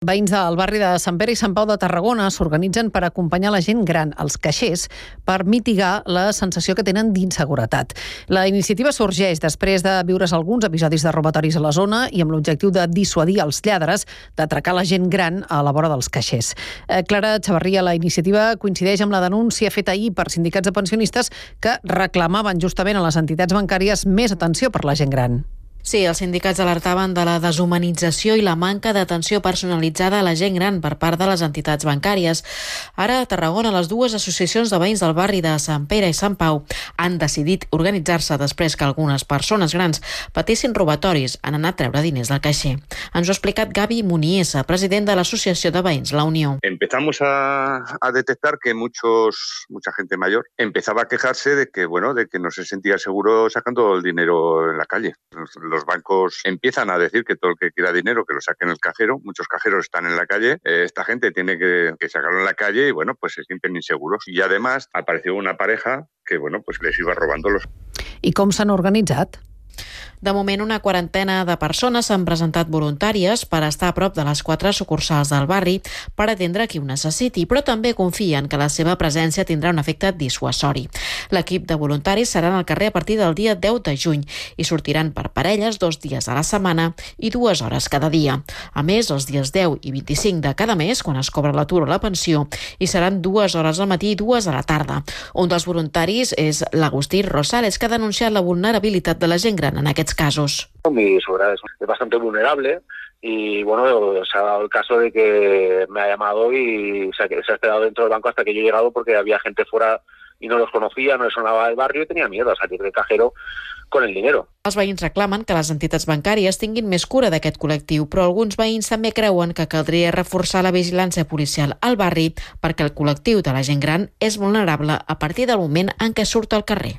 Veïns del barri de Sant Pere i Sant Pau de Tarragona s'organitzen per acompanyar la gent gran, els caixers, per mitigar la sensació que tenen d'inseguretat. La iniciativa sorgeix després de viure's alguns episodis de robatoris a la zona i amb l'objectiu de dissuadir els lladres d'atracar la gent gran a la vora dels caixers. Clara Chavarria, la iniciativa coincideix amb la denúncia feta ahir per sindicats de pensionistes que reclamaven justament a les entitats bancàries més atenció per la gent gran. Sí, els sindicats alertaven de la deshumanització i la manca d'atenció personalitzada a la gent gran per part de les entitats bancàries. Ara, a Tarragona, les dues associacions de veïns del barri de Sant Pere i Sant Pau han decidit organitzar-se després que algunes persones grans patissin robatoris en anar a treure diners del caixer. Ens ho ha explicat Gavi Muniesa, president de l'Associació de Veïns La Unió. Empezamos a detectar que mucha gente mayor empezaba a quejarse de que no se sentía seguro sacando el dinero en la calle. Los bancos empiezan a decir que todo el que quiera dinero que lo saque en el cajero. Muchos cajeros están en la calle. Esta gente tiene que sacarlo en la calle y pues se sienten inseguros. Y además apareció una pareja que les iba robando los. I com s'han organitzat? De moment, una quarantena de persones s'han presentat voluntàries per estar a prop de les 4 sucursals del barri per atendre qui ho necessiti, però també confien que la seva presència tindrà un efecte dissuasori. L'equip de voluntaris serà al carrer a partir del dia 10 de juny i sortiran per parelles 2 dies a la setmana i 2 hores cada dia. A més, els dies 10 i 25 de cada mes, quan es cobra l'atur o la pensió, hi seran 2 hores al matí i 2 a la tarda. Un dels voluntaris és l'Agustí Rosales, que ha denunciat la vulnerabilitat de la gent gran en aquests casos. Mi suegra es bastante vulnerable y se ha dado el caso de que me ha llamado y se ha quedado dentro del banco hasta que yo he llegado porque había gente fuera y no los conocía, no les sonaba el barrio y tenía miedo a salir del cajero con el dinero. Els veïns reclamen que les entitats bancàries tinguin més cura d'aquest col·lectiu, però alguns veïns també creuen que caldria reforçar la vigilància policial al barri perquè el col·lectiu de la gent gran és vulnerable a partir del moment en què surt al carrer.